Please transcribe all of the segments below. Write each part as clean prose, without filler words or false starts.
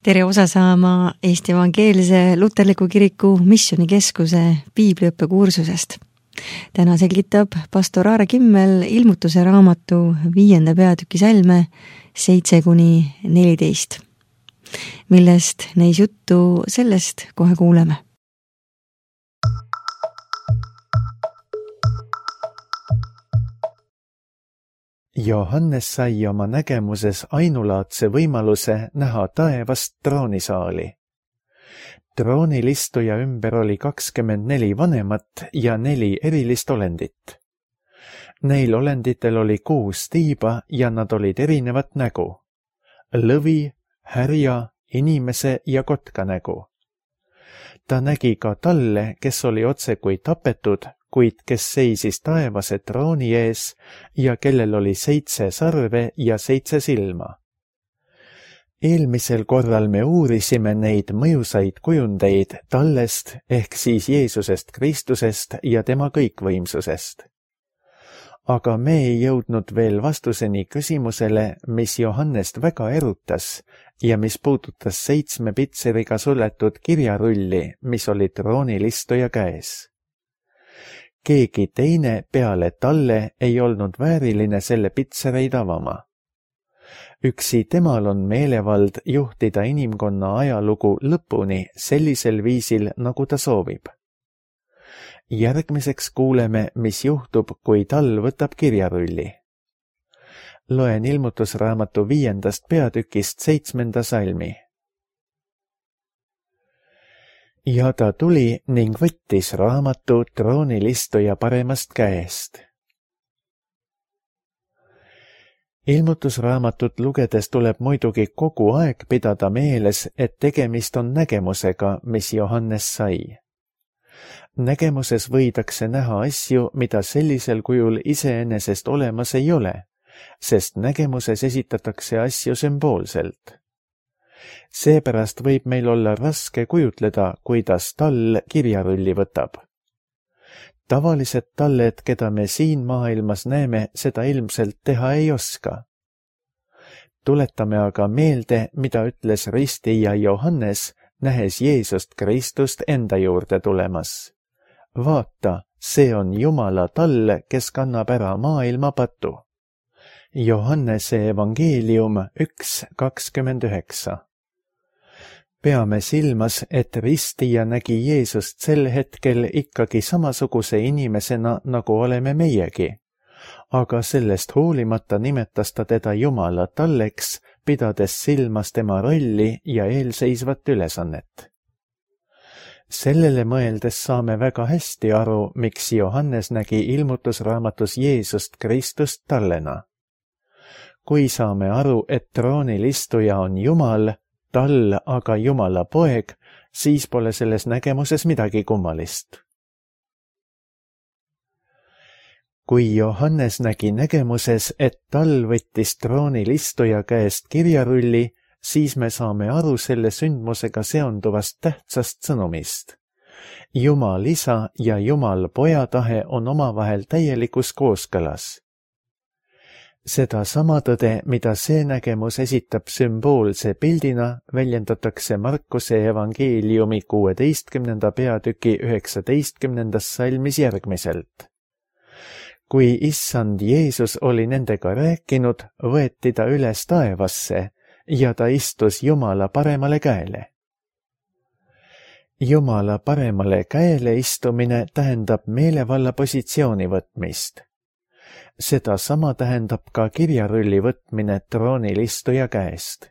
Tere osa saama Eesti Evangeelse Luterliku Kiriku Missioonikeskuse piibliõppekursusest. Täna selgitab pastor Aare Kimmel ilmutuse raamatu 5. peatüki salme 7-14. Millest neis juttu, sellest kohe kuuleme. Johannes sai oma nägemuses ainulaadse võimaluse näha taevast troonisaali. Troonilistuja ümber oli 24 vanemat ja 4 erilist olendit. Neil olenditel oli 6 tiiba ja nad olid erinevat nägu. Lõvi, härja, inimese ja kotka nägu. Ta nägi ka talle, kes oli otse kui tapetud, kuid kes seisis taevase trooni ees ja kellel oli 7 sarve ja 7 silma. Eelmisel korral me uurisime neid mõjusaid kujundeid tallest ehk siis Jeesusest Kristusest ja tema kõikvõimsusest. Aga me ei jõudnud veel vastuseni küsimusele, mis Johannest väga erutas ja mis puudutas 7 pitseriga suletud kirjarulli, mis oli troonilistuja käes. Keegi teine peale talle ei olnud vääriline selle pitsereid avama. Üksi temal on meelevald juhtida inimkonna ajalugu lõpuni sellisel viisil, nagu ta soovib. Järgmiseks kuuleme, mis juhtub, kui tal võtab kirjarulli. Loen ilmutusraamatu 5. peatükist 7. salmi. Ja ta tuli ning võttis raamatu troonilistuja paremast käest. Ilmutusraamatut lugedes tuleb muidugi kogu aeg pidada meeles, et tegemist on nägemusega, mis Johannes sai. Nägemuses võidakse näha asju, mida sellisel kujul iseenesest olemas ei ole, sest nägemuses esitatakse asju sümboolselt. Seepärast võib meil olla raske kujutleda, kuidas tall kirjarulli võtab. Tavalised talled, keda me siin maailmas näeme, seda ilmselt teha ei oska. Tuletame aga meelde, mida ütles ristija Johannes, nähes Jeesust Kristust enda juurde tulemas. Vaata, see on Jumala tall, kes kannab ära maailma patu. Johannese evangeelium 1:29. Peame silmas, et ristija nägi Jeesust sel hetkel ikkagi samasuguse inimesena, nagu oleme meiegi, aga sellest hoolimata nimetas ta teda Jumala talleks, pidades silmas tema rolli ja eelseisvat ülesannet. Sellele mõeldes saame väga hästi aru, miks Johannes nägi ilmutusraamatus Jeesust Kristust tallena. Kui saame aru, et troonilistuja on Jumal, tall aga Jumala poeg, siis pole selles nägemuses midagi kummalist. Kui Johannes nägi nägemuses, et tall võttis troonilistuja käest kirjarulli, siis me saame aru selle sündmusega seonduvast tähtsast sõnumist. Jumal isa ja Jumal poja tahe on omavahel täielikus kooskõlas. Seda sama tõde, mida see nägemus esitab sümboolse pildina, väljendatakse Markuse evangeeliumi 16. peatüki 19. salmis järgmiselt. Kui issand Jeesus oli nendega rääkinud, võeti ta üles taevasse ja ta istus Jumala paremale käele. Jumala paremale käele istumine tähendab meelevalla positsiooni võtmist. Seda sama tähendab ka kirjarulli võtmine troonilistuja käest.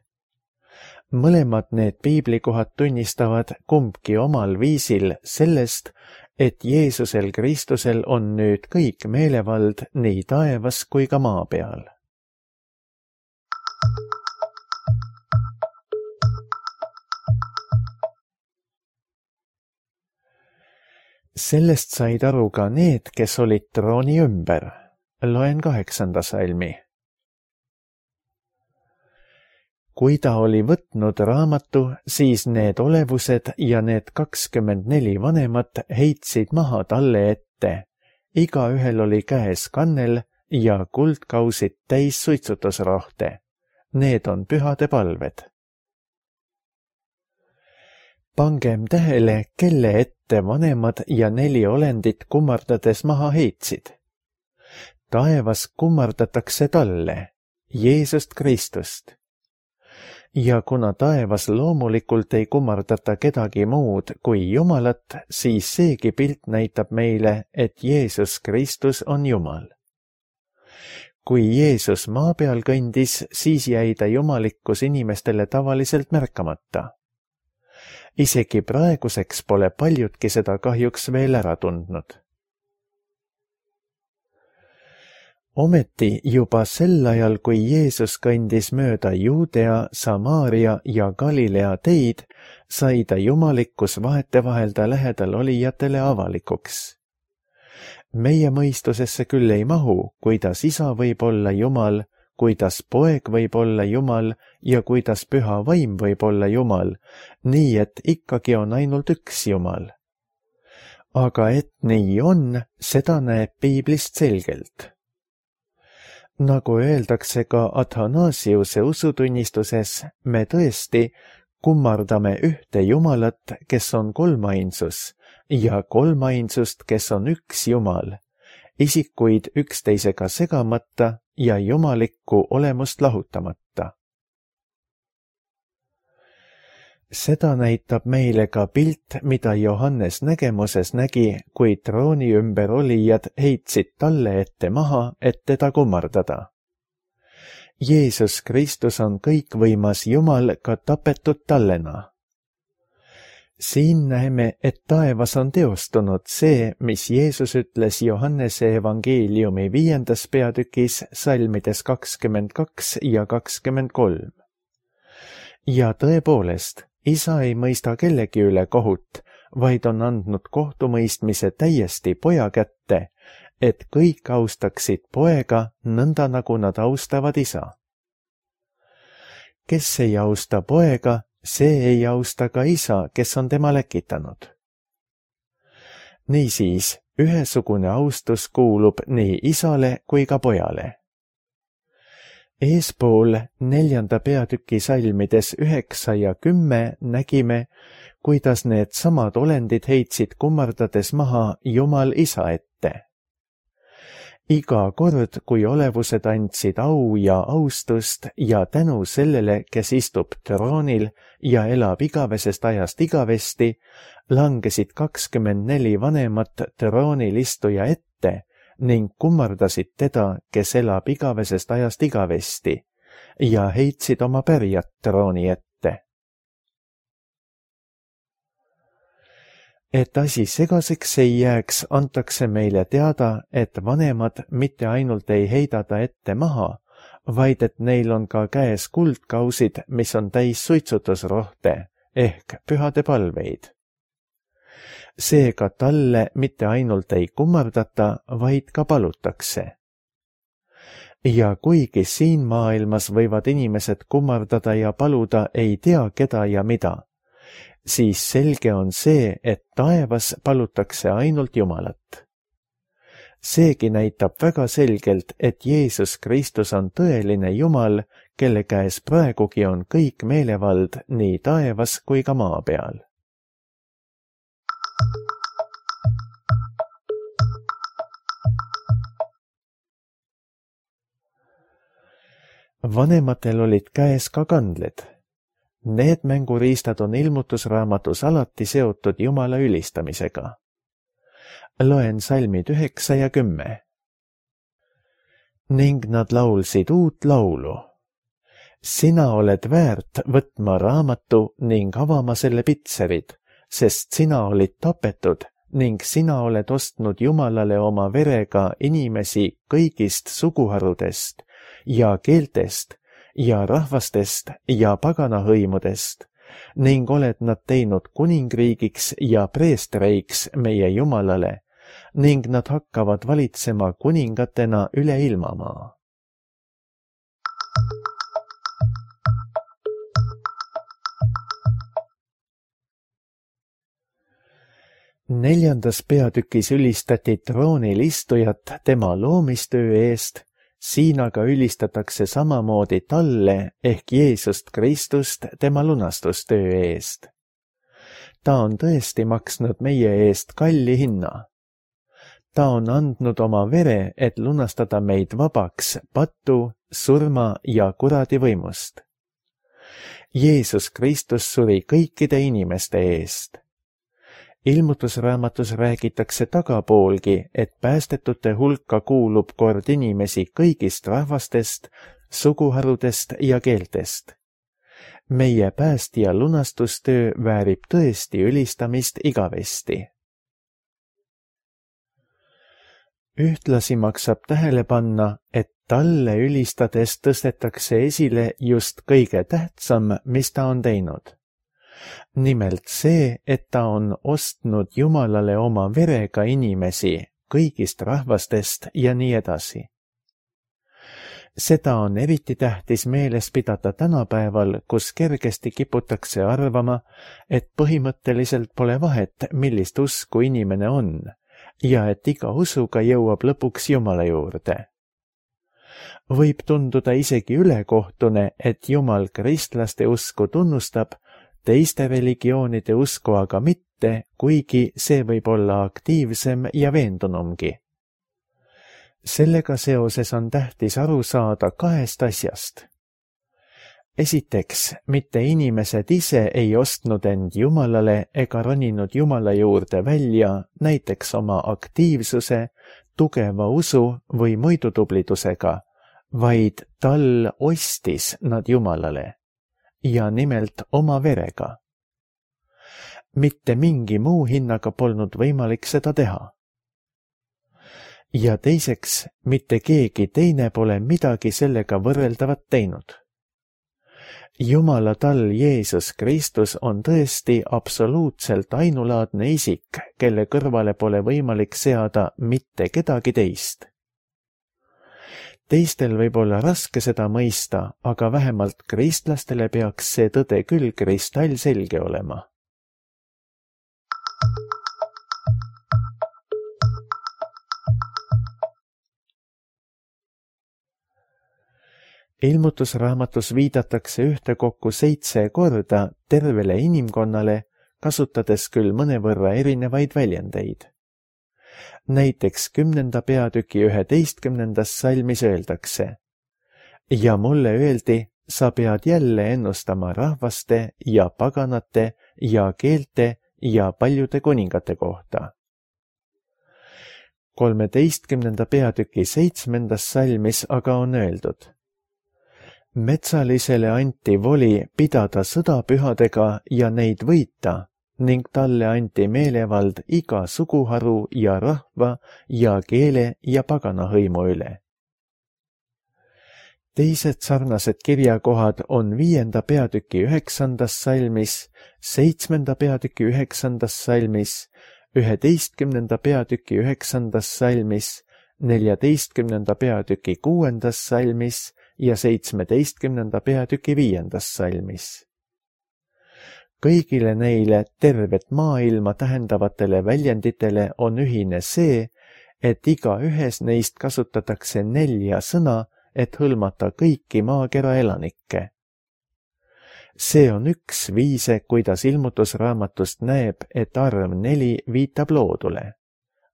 Mõlemad need piiblikohad tunnistavad kumbki omal viisil sellest, et Jeesusel Kristusel on nüüd kõik meelevald nii taevas kui ka maa peal. Sellest said aru ka need, kes olid trooni ümber. Loen 8. salmi. Kui ta oli võtnud raamatu, siis need olevused ja need 24 vanemat heitsid maha talle ette. Igaühel oli käes kannel ja kuldkausid täis suitsutusrohte. Need on pühade palved. Pangem tähele, kelle ette vanemad ja 4 olendit kummardades maha heitsid. Taevas kummardatakse talle, Jeesust Kristust. Ja kuna taevas loomulikult ei kummardata kedagi muud kui Jumalat, siis seegi pilt näitab meile, et Jeesus Kristus on Jumal. Kui Jeesus maa peal kõndis, siis jäi ta jumalikkus inimestele tavaliselt märkamata. Isegi praeguseks pole paljudki seda kahjuks veel ära tundnud. Ometi juba sel ajal, kui Jeesus kõndis mööda Juudea, Samaaria ja Galilea teid, sai ta jumalikkus vahetevahel ta lähedal olijatele avalikuks. Meie mõistusesse küll ei mahu, kuidas isa võib olla Jumal, kuidas poeg võib olla Jumal ja kuidas püha vaim võib olla Jumal, nii et ikkagi on ainult üks Jumal. Aga et nii on, seda näeb piiblist selgelt. Nagu öeldakse ka Athanasiuse usutunnistuses, me tõesti kummardame ühte Jumalat, kes on kolmainsus, ja kolmainsust, kes on üks Jumal, isikuid üksteisega segamata ja jumalikku olemust lahutamata. Seda näitab meile ka pilt, mida Johannes nägemuses nägi, kui trooni ümber olijad heitsid talle ette maha, et teda kummardada. Jeesus Kristus on kõikvõimas Jumal ka tapetud tallena. Siin näeme, et taevas on teostunud see, mis Jeesus ütles Johannese evangeeliumi 5. peatükis salmides 22 ja 23. Ja tõepoolest, isa ei mõista kellegi üle kohut, vaid on andnud kohtumõistmise täiesti poja kätte, et kõik austaksid poega nõnda, nagu nad austavad isa. Kes ei austa poega, see ei austa ka isa, kes on tema läkitanud. Niisiis, ühesugune austus kuulub nii isale kui ka pojale. Eespool 4. peatüki salmides 9 ja 10 nägime, kuidas need samad olendid heitsid kummardades maha Jumal isa ette. Iga kord, kui olevused andsid au ja austust ja tänu sellele, kes istub troonil ja elab igavesest ajast igavesti, langesid 24 vanemat troonil istuja ette ning kummardasid teda, kes elab igavesest ajast igavesti, ja heitsid oma pärjat trooni ette. Et asi segaseks ei jääks, antakse meile teada, et vanemad mitte ainult ei heida ta ette maha, vaid et neil on ka käes kuldkausid, mis on täis suitsutusrohte ehk pühade palveid. Seega talle mitte ainult ei kummardata, vaid ka palutakse. Ja kuigi siin maailmas võivad inimesed kummardada ja paluda ei tea keda ja mida, siis selge on see, et taevas palutakse ainult Jumalat. Seegi näitab väga selgelt, et Jeesus Kristus on tõeline Jumal, kelle käes praegugi on kõik meelevald nii taevas kui ka maa peal. Vanematel olid käes ka kandled. Need mänguriistad on ilmutusraamatus alati seotud Jumala ülistamisega. Loen salmid 9 ja 10. Ning nad laulsid uut laulu. Sina oled väärt võtma raamatu ning avama selle pitserid, sest sina olid tapetud ning sina oled ostnud Jumalale oma verega inimesi kõigist suguharudest ja keeltest ja rahvastest ja paganahõimudest ning oled nad teinud kuningriigiks ja preestreiks meie Jumalale ning nad hakkavad valitsema kuningatena üle ilmamaa. Neljandas peatükis ülistati troonil istujat tema loomistöö eest, siin aga ülistatakse samamoodi talle ehk Jeesust Kristust tema lunastustöö eest. ta on tõesti maksnud meie eest kalli hinna. Ta on andnud oma vere, et lunastada meid vabaks patu, surma ja kuradi võimust. Jeesus Kristus suri kõikide inimeste eest. Ilmutusraamatus räägitakse tagapoolgi, et päästetute hulka kuulub kord inimesi kõigist rahvastest, suguharudest ja keeltest. Meie päästja lunastustöö väärib tõesti ülistamist igavesti. Ühtlasi maksab tähele panna, et talle ülistades tõstetakse esile just kõige tähtsam, mis ta on teinud. Nimelt see, et ta on ostnud Jumalale oma verega inimesi kõigist rahvastest ja nii edasi. Seda on eriti tähtis meeles pidada tänapäeval, kus kergesti kiputakse arvama, et põhimõtteliselt pole vahet, millist usku inimene on, ja et iga usuga jõuab lõpuks Jumala juurde. Võib tunduda isegi ülekohtune, et Jumal kristlaste usku tunnustab, teiste religioonide usku aga mitte, kuigi see võib olla aktiivsem ja veendunumgi. Sellega seoses on tähtis aru saada kahest asjast. Esiteks, mitte inimesed ise ei ostnud end Jumalale ega roninud Jumala juurde välja näiteks oma aktiivsuse, tugeva usu või muidutublidusega, vaid tal ostis nad Jumalale. Ja nimelt oma verega. Mitte mingi muu hinnaga polnud võimalik seda teha. Ja teiseks, mitte keegi teine pole midagi sellega võrreldavat teinud. Jumala tall Jeesus Kristus on tõesti absoluutselt ainulaadne isik, kelle kõrvale pole võimalik seada mitte kedagi teist. Teistel võib olla raske seda mõista, aga vähemalt kristlastele peaks see tõde küll kristallselge olema. Ilmutusraamatus viidatakse ühtekokku 7 korda tervele inimkonnale, kasutades küll mõnevõrra erinevaid väljendeid. Näiteks 10. peatüki 11. salmis öeldakse: ja mulle öeldi, sa pead jälle ennustama rahvaste ja paganate ja keelte ja paljude kuningate kohta. 13. peatüki 7. salmis aga on öeldud: metsalisele anti voli pidada sõda pühadega ja neid võita, ning talle anti meelevald iga suguharu ja rahva ja keele ja pagana hõimu üle. Teised sarnased kirjakohad on 5. peatüki 9. salmis, 7. peatüki 9. salmis, 11. peatüki 9. salmis, 14. peatüki 6. salmis ja 17. peatüki 5. salmis. Kõigile neile tervet maailma tähendavatele väljenditele on ühine see, et iga ühes neist kasutatakse 4 sõna, et hõlmata kõiki maakera elanikke. See on üks viise, kuidas ilmutusraamatust näeb, et arv 4 viitab loodule,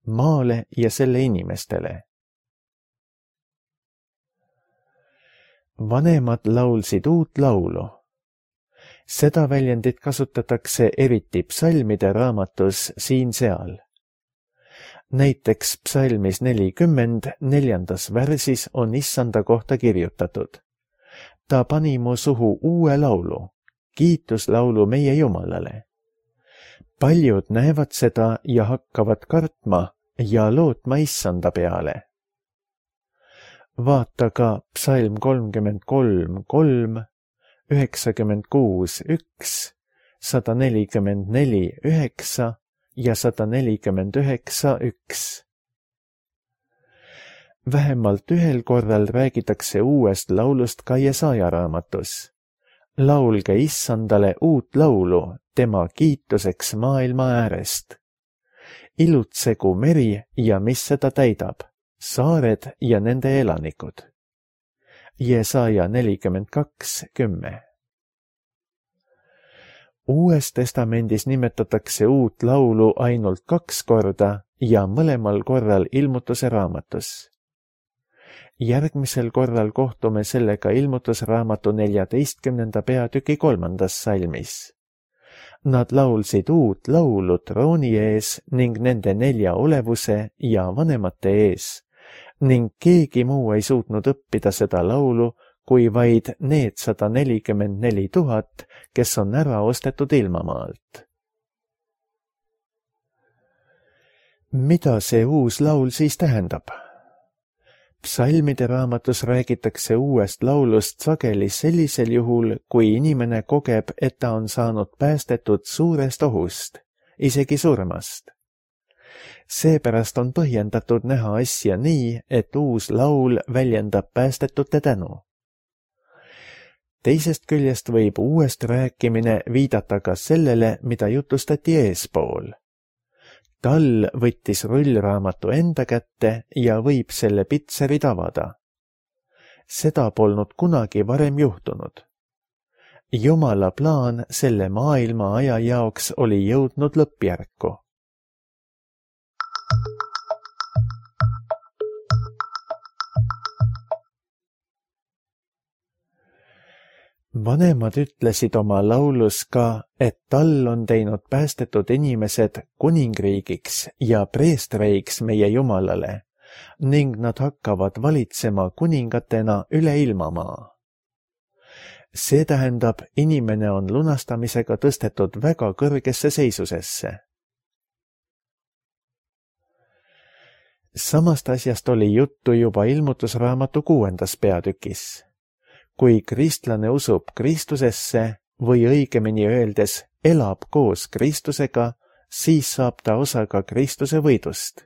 maale ja selle inimestele. Vanemad laulsid uut laulu. Seda väljendit kasutatakse eriti psalmide raamatus siin-seal. Näiteks psalmis 40, 4. värsis on Issanda kohta kirjutatud: ta pani mu suhu uue laulu, kiituslaulu meie Jumalale. Paljud näevad seda ja hakkavad kartma ja lootma Issanda peale. Vaata ka psalm 33, 3, 96, 1, 144, 9 ja 149, 1. Vähemalt ühel korral räägitakse uuest laulust ka Jesaja raamatus. Laulge Issandale uut laulu tema kiituseks maailma äärest. Ilutsegu meri ja mis seda täidab, saared ja nende elanikud. Jesaja 42, 10. Uues testamendis nimetatakse uut laulu ainult 2 korda ja mõlemal korral Ilmutuse raamatus. Järgmisel korral kohtume sellega Ilmutusraamatu 14. peatüki 3. salmis. Nad laulsid uut laulu trooni ees ning nende 4 olevuse ja vanemate ees ning keegi muu ei suutnud õppida seda laulu, kui vaid need 144 000, kes on ära ostetud ilmamaalt. Mida see uus laul siis tähendab? Psalmide raamatus räägitakse uuest laulust sageli sellisel juhul, kui inimene kogeb, et ta on saanud päästetud suurest ohust, isegi surmast. Seepärast on põhjendatud näha asja nii, et uus laul väljendab päästetute tänu. Teisest küljest võib uuest rääkimine viidata ka sellele, mida jutustati eespool. Tal võttis rullraamatu enda kätte ja võib selle pitserid avada. Seda polnud kunagi varem juhtunud. Jumala plaan selle maailma aja jaoks oli jõudnud lõppjärku. Vanemad ütlesid oma laulus ka, et tal on teinud päästetud inimesed kuningriigiks ja preestreiks meie Jumalale ning nad hakkavad valitsema kuningatena üle ilmamaa. See tähendab, inimene on lunastamisega tõstetud väga kõrgesse seisusesse. Samast asjast oli juttu juba Ilmutusraamatu 6. peatükis. Kui kristlane usub Kristusesse või õigemini öeldes elab koos Kristusega, siis saab ta osa ka Kristuse võidust.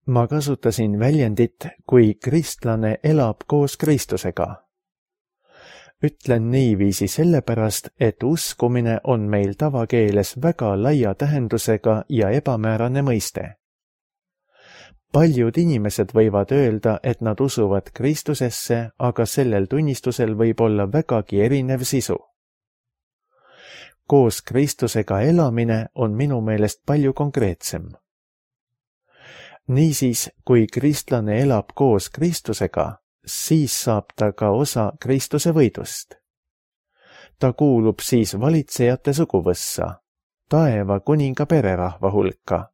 Ma kasutasin väljendit, kui kristlane elab koos Kristusega. Ütlen niiviisi sellepärast, et uskumine on meil tavakeeles väga laia tähendusega ja ebamäärane mõiste. Paljud inimesed võivad öelda, et nad usuvad Kristusesse, aga sellel tunnistusel võib olla vägagi erinev sisu. Koos Kristusega elamine on minu meelest palju konkreetsem. Niisiis, kui kristlane elab koos Kristusega, siis saab ta ka osa Kristuse võidust. Ta kuulub siis valitsejate suguvõssa, taeva kuninga pererahva hulka.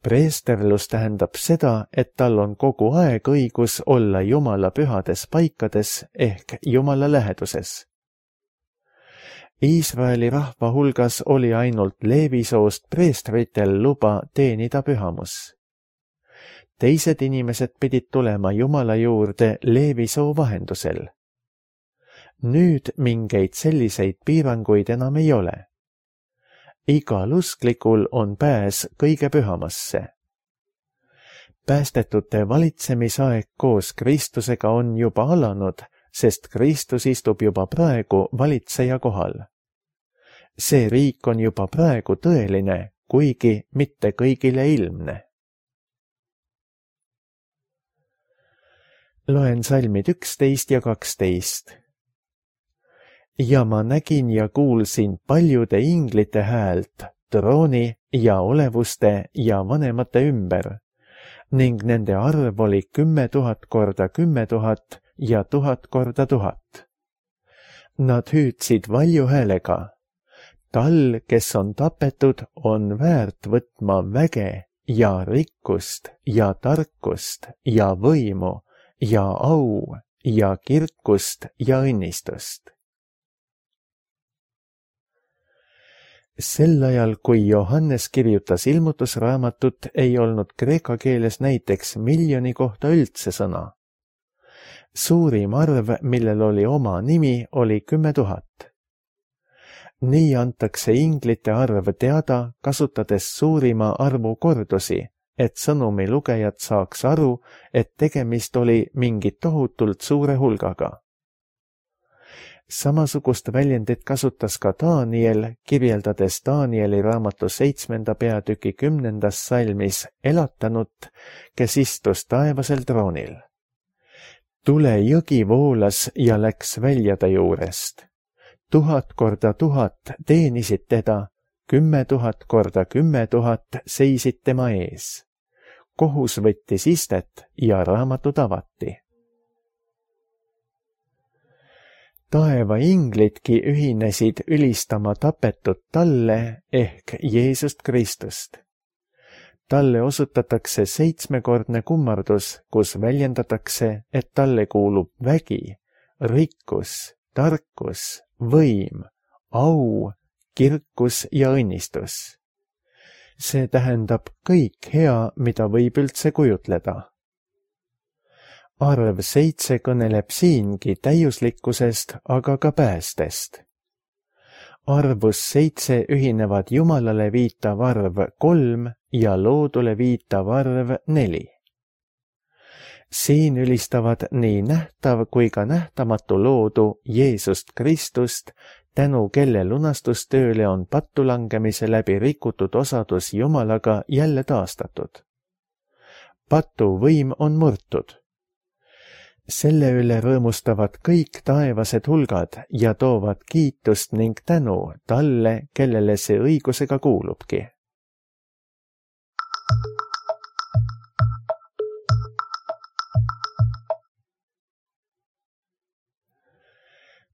Preesterlus tähendab seda, et tal on kogu aeg õigus olla Jumala pühades paikades ehk Jumala läheduses. Iisraeli rahva hulgas oli ainult Leevi soost preestritel luba teenida pühamus. Teised inimesed pidid tulema Jumala juurde Leevi soo vahendusel. Nüüd mingeid selliseid piiranguid enam ei ole. Igal usklikul on pääs kõige pühamasse. Päästetute valitsemisaeg koos Kristusega on juba alanud, sest Kristus istub juba praegu valitseja kohal. See riik on juba praegu tõeline, kuigi mitte kõigile ilmne. Loen salmid 11 ja 12. Ja ma nägin ja kuulsin paljude inglite häält, trooni ja olevuste ja vanemate ümber, ning nende arv oli 10 000 korda 10 000 ja 1000 korda 1000. Nad hüüdsid valju häälega. Tal, kes on tapetud, on väärt võtma väge ja rikkust ja tarkust ja võimu ja au ja kirkust ja õnnistust. Sel ajal, kui Johannes kirjutas Ilmutusraamatut, ei olnud kreeka keeles näiteks miljoni kohta üldse sõna. Suurim arv, millel oli oma nimi, oli 10 000. Nii antakse inglite arv teada, kasutades suurima arvu kordusi, et sõnumi lugejad saaks aru, et tegemist oli mingi tohutult suure hulgaga. Samasugust väljendit kasutas ka Daniel, kirjeldades Danieli raamatu 7. peatüki 10. salmis elatanut, kes istus taevasel troonil. Tulejõgi voolas ja läks välja ta juurest. 1000 korda 1000 teenisid teda, 10 000 korda 10 000 seisid tema ees. Kohus võttis istet ja raamatud avati. Taeva inglidki ühinesid ülistama tapetud talle ehk Jeesust Kristust. Talle osutatakse 7-kordne kummardus, kus väljendatakse, et talle kuulub vägi, rikkus, tarkus, võim, au, kirkus ja õnnistus. See tähendab kõik hea, mida võib üldse kujutleda. Arv 7 kõneleb siingi täiuslikkusest, aga ka päästest. Arvus 7 ühinevad Jumalale viitav arv 3 ja loodule viitav arv 4. Siin ülistavad nii nähtav kui ka nähtamatu loodu Jeesust Kristust, tänu kelle lunastustööle on pattulangemise läbi rikutud osadus Jumalaga jälle taastatud. Patu võim on murtud. Selle üle rõõmustavad kõik taevased hulgad ja toovad kiitust ning tänu talle, kellele see õigusega kuulubki.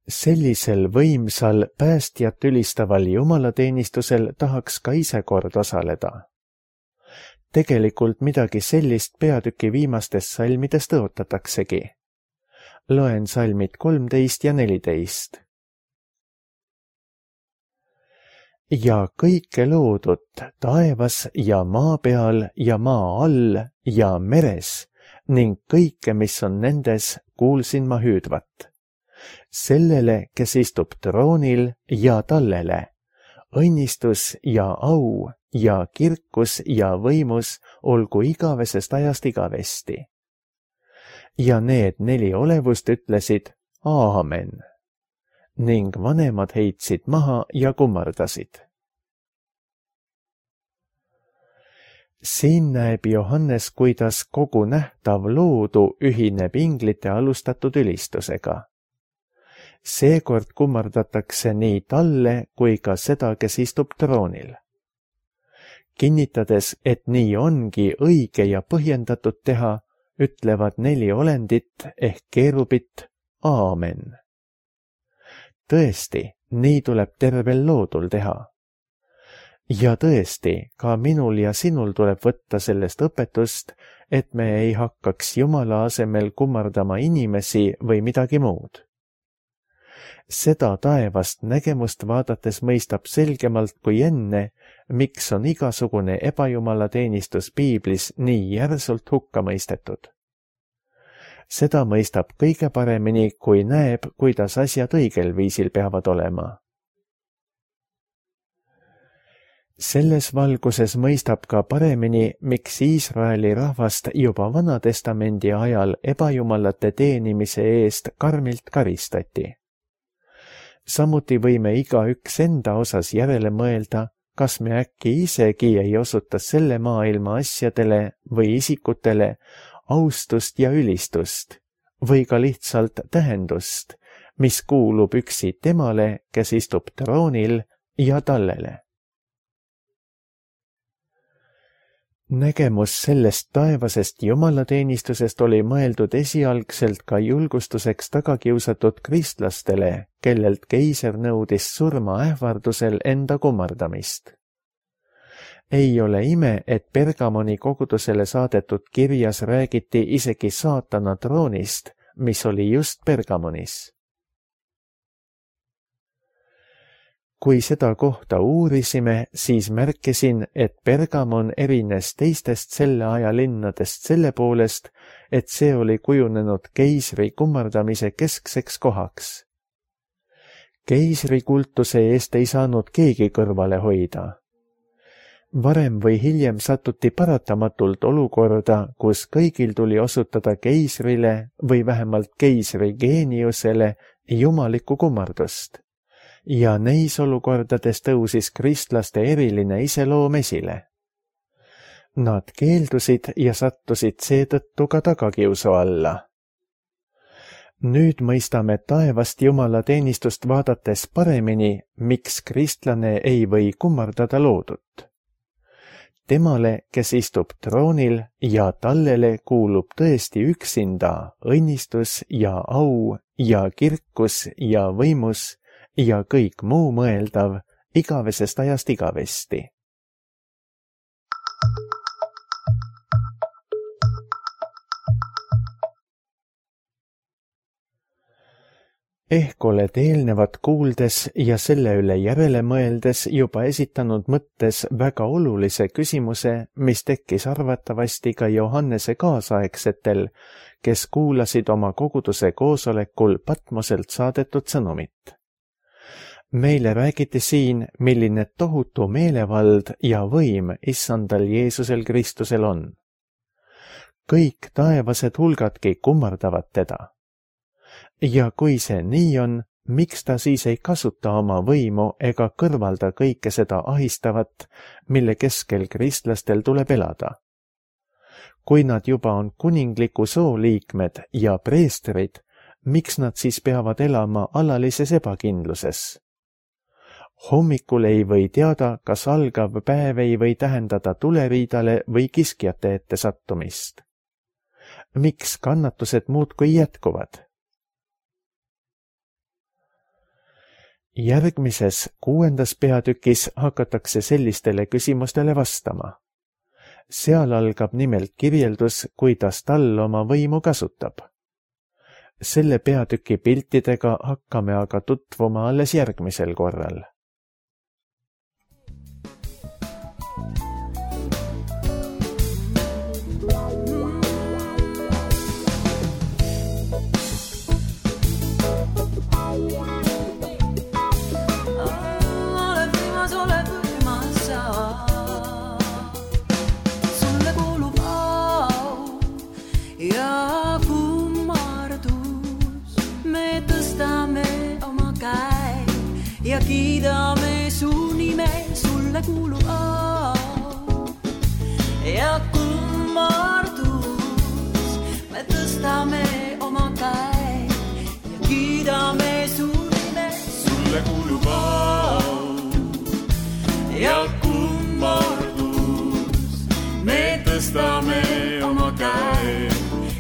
Sellisel võimsal päästjat ülistaval jumalateenistusel tahaks ka ise kord osaleda. Tegelikult midagi sellist peatüki viimastest salmidest tõotataksegi. Loen salmid 13 ja 14. Ja kõike loodut taevas ja maa peal ja maa all ja meres ning kõike, mis on nendes, kuulsin ma hüüdvat. Sellele, kes istub troonil ja tallele, õnnistus ja au ja kirkus ja võimus olgu igavesest ajast igavesti. Ja need 4 olevust ütlesid Aamen ning vanemad heitsid maha ja kummardasid. Siin näeb Johannes, kuidas kogu nähtav loodu ühineb inglite alustatud ülistusega. Seekord kummardatakse nii talle kui ka seda, kes istub troonil. Kinnitades, et nii ongi õige ja põhjendatud teha, ütlevad 4 olendit ehk keerubit Aamen. Tõesti, nii tuleb tervel loodul teha. Ja tõesti, ka minul ja sinul tuleb võtta sellest õpetust, et me ei hakkaks Jumala asemel kummardama inimesi või midagi muud. Seda taevast nägemust vaadates mõistab selgemalt kui enne, miks on igasugune ebajumalateenistus piiblis nii järsult hukka mõistetud. Seda mõistab kõige paremini, kui näeb, kuidas asjad õigel viisil peavad olema. Selles valguses mõistab ka paremini, miks Iisraeli rahvast juba Vana-testamendi ajal ebajumalate teenimise eest karmilt karistati. Samuti võime igaüks enda osas järele mõelda, kas me äkki isegi ei osuta selle maailma asjadele või isikutele austust ja ülistust või ka lihtsalt tähendust, mis kuulub üksi temale, kes istub troonil ja tallele. Nägemus sellest taevasest jumalateenistusest oli mõeldud esialgselt ka julgustuseks tagakiusatud kristlastele, kellelt keiser nõudis surma ähvardusel enda kummardamist. Ei ole ime, et Pergamoni kogudusele saadetud kirjas räägiti isegi saatana troonist, mis oli just Pergamonis. Kui seda kohta uurisime, siis märkisin, et Pergamon erines teistest selle aja linnadest selle poolest, et see oli kujunenud keisri kummardamise keskseks kohaks. Keisri kultuse eest ei saanud keegi kõrvale hoida. Varem või hiljem satuti paratamatult olukorda, kus kõigil tuli osutada keisrile või vähemalt keisri geeniusele jumalikku kummardust. Ja neis olukordades tõusis kristlaste eriline iseloom esile. Nad keeldusid ja sattusid seetõttu ka tagakiusu alla. Nüüd mõistame taevast Jumala teenistust vaadates paremini, miks kristlane ei või kummardada loodut. Temale, kes istub troonil ja tallele kuulub tõesti üksinda õnnistus ja au ja kirkus ja võimus ja kõik muu mõeldav igavesest ajast igavesti. Ehk oled eelnevat kuuldes ja selle üle järele mõeldes juba esitanud mõttes väga olulise küsimuse, mis tekkis arvatavasti ka Johannese kaasaegsetel, kes kuulasid oma koguduse koosolekul Patmoselt saadetud sõnumit. Meile räägiti siin, milline tohutu meelevald ja võim issandal Jeesusel Kristusel on. Kõik taevased hulgadki kummardavad teda. Ja kui see nii on, miks ta siis ei kasuta oma võimu ega kõrvalda kõike seda ahistavat, mille keskel kristlastel tuleb elada? Kui nad juba on kuningliku soo liikmed ja preestrid, miks nad siis peavad elama alalises ebakindluses? Hommikul ei või teada, kas algav päev ei või tähendada tuleriidale või kiskjate ette sattumist. Miks kannatused muudkui jätkuvad? Järgmises 6. peatükis hakatakse sellistele küsimustele vastama. Seal algab nimelt kirjeldus, kuidas Tall oma võimu kasutab. Selle peatüki piltidega hakkame aga tutvuma alles järgmisel korral. Ja kiidame su nime, sulle kuulub au ja kummardus. Me tõstame oma käe ja kiidame su nime, sulle kuulub au ja kummardus. Me tõstame oma käe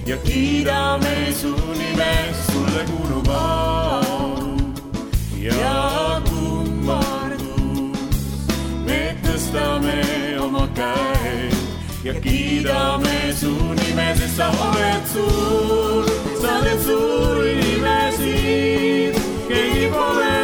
ja kiidame su nime, sulle kuulub au ja kummardus. Me tõstame oma käe ja kiidame su nime, sest sa oled suur, sa oled suur nimesid, keegi pole